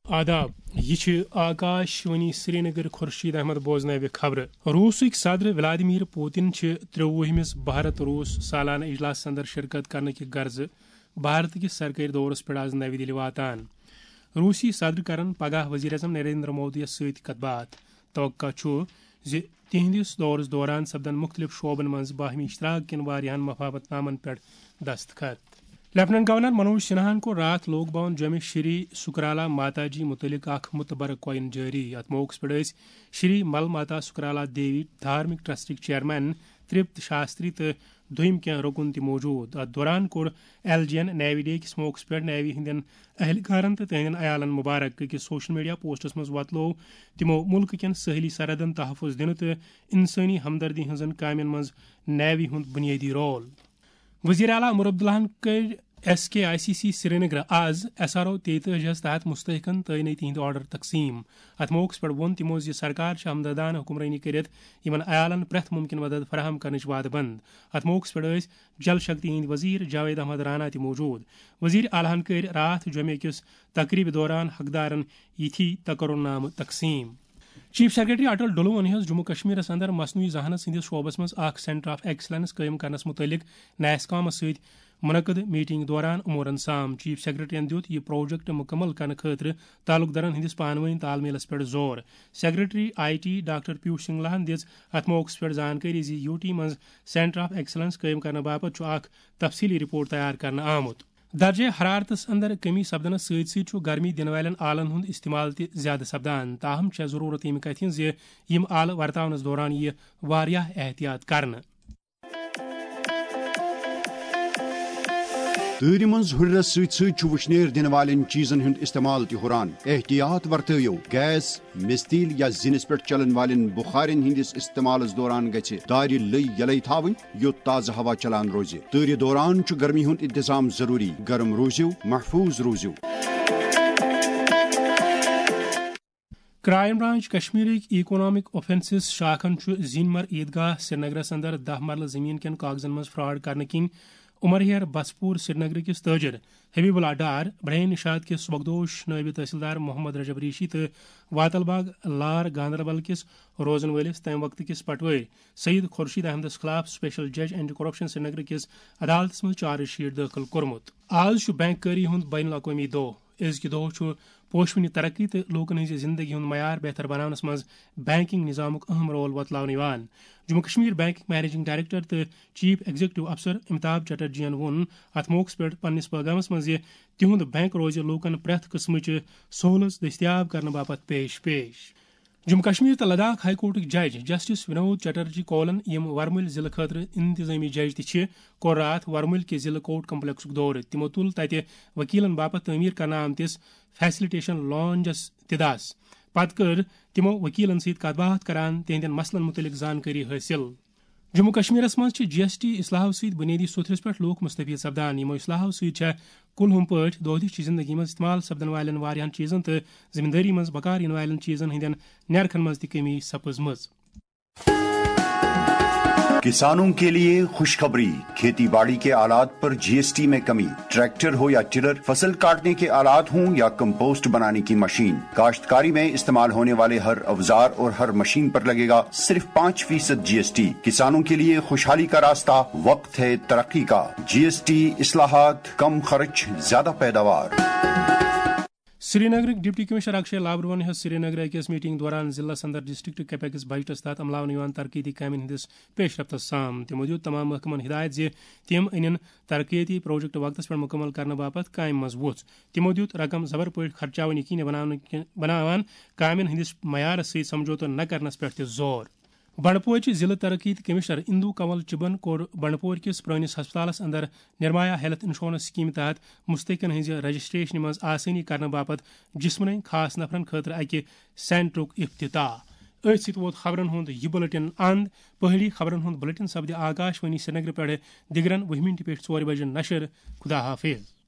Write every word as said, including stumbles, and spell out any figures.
آداب، یہِ چھِ آکاش وانی سرینگر۔ خورشید احمد بوزناوِ خبرٕ۔ روٗسٕکۍ صدر ولادیمیر پوتن چھِ ترٛووُہمِس بھارت روٗس سالانہٕ اجلاسس اندر شرکت کرنہٕ کہِ غرضہٕ بھارت کِس سرکٲرۍ دورس پٮ۪ٹھ آز نَوِ دِلہِ واتان۔ روٗسی صدر کرن پگاہ وزیر اعظم نریندر مودیَس سۭتۍ کتھ باتھ۔ توقع چھُ زِ تِہنٛدِس دورس دوران سپدن مُختٔلِف شعبن منٛز باہمی اشتراک کٮ۪ن واریاہن مفاہمت نامن پٮ۪ٹھ دستخط۔ لیفٹیننٹ گورنر منوج سنہاہن کوٚر راتھ لوک بھون جوٚمہِ شری سکرالا ماتا جی متعلق اکھ متبرک کوئن جٲری۔ اتھ موقعس پٮ۪ٹھ ٲسۍ شری مل ماتا سکرالا دیوی دھارمک ٹرسٹٕکۍ چیئرمین ترپت شاستری تہٕ دوٚیِم کینٛہہ رُکُن تہِ موجود۔ اتھ دوران کوٚر ایل جی یَن نیوی ڈے کِس موقعس پٮ۪ٹھ نیوی ہٕنٛدٮ۪ن اہلکارن تہٕ تِہنٛدٮ۪ن عیالن مبارک۔ أکِس سوشل میڈیا پوسٹس منٛز وۄتلوو تِمو مُلکہٕ کٮ۪ن سٲحلی سرحدن تحفظ دِنہٕ تہٕ انسٲنی ہمدردی ہٕنٛزن کامٮ۪ن منٛز نیوی ہُنٛد بُنیٲدی رول۔ وزیر اعلیٰ عمر عبداللہن کٔرۍ S K I C C Srinagar آز ایس آر او تیتٲجی ہَس تحت مستحقن تعینٲتی ہٕنٛدۍ آرڈر تقسیٖم۔ اتھ موقعس پٮ۪ٹھ ووٚن تِمو زِ سرکار چھِ ہمدردانہٕ حکمرٲنی کٔرِتھ یِمن عیالن پرٛٮ۪تھ مُمکِن مدد فراہم کرنٕچ وعدٕ بنٛد۔ اتھ موقعس پٮ۪ٹھ ٲسۍ جل شکتی ہٕنٛدۍ وزیر جاوید احمد رانا تہِ موجود۔ وزیر اعلیٰ ہن کٔرۍ راتھ جمعہ کِس تقریبہِ دوران حقدارن یِتھی تقرر نامہٕ تقسیٖم۔ چیف سیکرٹری اٹل ڈلوَن ہیٚژ جموں کشمیرس اندر مصنوعی ذہانت سٕنٛدِس شعبس منٛز اکھ سینٹر آف ایکسلنس قٲیِم کرنس متعلق نیسکامس سۭتۍ منعقد میٹنگ دوران امورن سام۔ چیف سیکرٹریَن دیُت یہِ پروجیکٹ مکمل کرنہٕ خٲطرٕ تعلقدارن ہٕنٛدِس پانہٕ وٲنۍ تال میلس پٮ۪ٹھ زور۔ Secretary I T doctor Piyush سنگلاہن دِژ اتھ موقعس پٮ۪ٹھ زانکٲری زِ یو ٹی منٛز سینٹر آف ایکسلنس قٲیِم کرنہٕ باپتھ چھُ اکھ تفصیلی رپورٹ تیار کرنہٕ آمُت۔ درجہ حرارتس اندر کمی سپدنس سۭتۍ سۭتۍ چھُ گرمی دِنہٕ والٮ۪ن آلن ہُنٛد استعمال تہِ زیادٕ سپدان، تاہم چھےٚ ضروٗرت ییٚمہِ کتھِ ہٕنٛز زِ یِم آلہٕ ورتاونس دوران یِیہِ واریاہ احتیاط کرنہٕ۔ تۭرِ منٛز ہُرٮ۪رس سۭتۍ سۭتۍ چھُ وُشنیر دِنہٕ والٮ۪ن چیٖزن ہُنٛد استعمال تہِ ہُران۔ احتیاط ورتٲیِو، گیس، مِستیٖل یا زِنِس پٮ۪ٹھ چلن والٮ۪ن بُخارٮ۪ن ہٕنٛدِس استعمالس دوران گژھِ دارِ لٔۍ یلے تھاوٕنۍ، یوٚت تازٕ ہوا چلان روزِ۔ تۭرِ دوران چھُ گرمی ہُنٛد انتظام ضروٗری۔ گرم روٗزِو، محفوٗظ روٗزِو۔ کرائم برانچ کشمیرٕکۍ اکنامک آفینسز شاخن چھُ زینمر عیدگاہ سرینگرس اندر دَہ مرلہٕ زمین کٮ۪ن کاغذن منٛز فراڈ کرنہٕ کِنۍ عمر ہیر بسپور سرینگر کِس تٲجر حبیب اللہ ڈار، برین نشاد کِس سبکدوش نٲیِب تحصیلدار محمد رجب ریشی تہٕ واتل باغ لار گاندربل کِس روزن وٲلِس تَمہِ وقتہٕ کِس پٹوٲرۍ سید خورشید احمدس خلاف سپیشل جج اینٹی کرپشن سرینگر کِس عدالتس منٛز چارج شیٹ دٲخل کوٚرمُت۔ آز چھُ بینک کٲری ہُنٛد بین الاقوٲمی دۄہ۔ أزکہِ دۄہ چھُ پوشوٕنہِ ترقی تہٕ لوٗکن ہٕنٛزِ زِندگی ہُنٛد معیار بہتر بناونس منٛز بینکنگ نظامُک اہم رول وۄتلاونہٕ یِوان۔ جموں کشمیر بینکٕکۍ مینیجنگ ڈائریکٹر تہٕ چیف ایگزیکٹو افسر امیتابھ چٹرجی ین ووٚن اتھ موقعس پٮ۪ٹھ پننِس پیغامس منٛز زِ تِہُنٛد بینک روزِ لوٗکن پرٛٮ۪تھ قٕسمٕچہِ سہوٗلژ دٔستیاب کرنہٕ باپتھ پیش پیش۔ جموں کشمیر تہٕ لداخ ہائی کورٹٕکۍ جج جسٹس ونود چٹرجی کولن، یِم ورمُلۍ ضلعہٕ خٲطرٕ انتظامی جج تہِ چھِ، کوٚر راتھ ورمُلۍ کہِ ضلعہٕ کورٹ کمپلیکسُک دورٕ۔ تِمو تُل تتہِ وکیلن باپتھ تعمیٖر کرنہٕ آمتِس فیسلٹیشن لانجس تہِ دس۔ پتہٕ کٔر تِمو وکیلن سۭتۍ کتھ باتھ کران تِہنٛدٮ۪ن مسلن متعلق زانکٲری حٲصِل۔ جموں کشمیرس منٛز چھِ جی ایس ٹی اصلاحو سۭتۍ بنیٲدی سوٚتھرِس پٮ۪ٹھ لوٗکھ مستفید سپدان۔ یِمو اصلاحو سۭتۍ چھےٚ کُلہُم پٲٹھۍ دۄہ دِش چہِ زندگی منٛز استعمال سپدن والٮ۪ن واریاہن چیزن تہٕ زمیندٲری منٛز بکار یِنہٕ والٮ۪ن چیزن ہٕنٛدٮ۪ن نرخن منٛز تہِ کمی سپٕزمٕژ۔ کسانوں کے لیے خوشخبری، کھیتی باڑی کے آلات پر جی ایس ٹی میں کمی، ٹریکٹر ہو یا ٹلر، فصل کاٹنے کے آلات ہوں یا کمپوسٹ بنانے کی مشین، کاشتکاری میں استعمال ہونے والے ہر اوزار اور ہر مشین پر لگے گا صرف پانچ فیصد جی ایس ٹی۔ کسانوں کے لیے خوشحالی کا راستہ، وقت ہے ترقی کا۔ جی ایس ٹی اصلاحات، کم خرچ، زیادہ پیداوار۔ سرینگرٕکۍ ڈپٹی کمشنر اکشے لابروہن ہیٚژ سرینگرٕ أکِس میٹنگ دوران ضلعس اندر ڈسٹرکٹ کیپیکس بجٹس تحت عملاونہٕ یِوان ترقیتی کامٮ۪ن ہٕنٛدِس پیش رفتس سام۔ تِمو دیُت تمام محکمن ہدایت زِ تِم أنِن ترقیتی پروجیکٹ وقتس پٮ۪ٹھ مکمل کرنہٕ باپتھ کامہِ منٛز وۄژھ۔ تِمو دیُت رقم زبر پٲٹھۍ خرچاوٕنۍ یقینی بناونہٕ کہِ-، بناوان کامٮ۪ن ہٕنٛدِس معیارس سۭتۍ سمجھوتہٕ نہ کرنس پٮ۪ٹھ تہِ زور۔ بنڈپورچہِ ضلع ترقیتی کمشنر اندو کنول چبن کوٚر بنڈپور کِس پرٲنِس ہسپتالس اندر نرمایا ہیلتھ انشورنس سکیمہِ تحت مستحقن ہٕنٛزِ رجسٹریشنہِ منٛز آسٲنی کرنہٕ باپتھ جسمٲنی خاص نفرن خٲطرٕ اکہِ سینٹرُک افتتاح۔ أتھۍ سۭتۍ ووت خبرن ہُنٛد یہِ بُلٹن اند۔ پہٲڑی خبرن ہُنٛد بُلٹن سپدِ آکاش وانی سرینگرٕ پٮ۪ٹھٕ دِگرن وُہہِ مِنٹہِ پٮ۪ٹھ ژورِ بجہِ نشر۔ خدا حافظ۔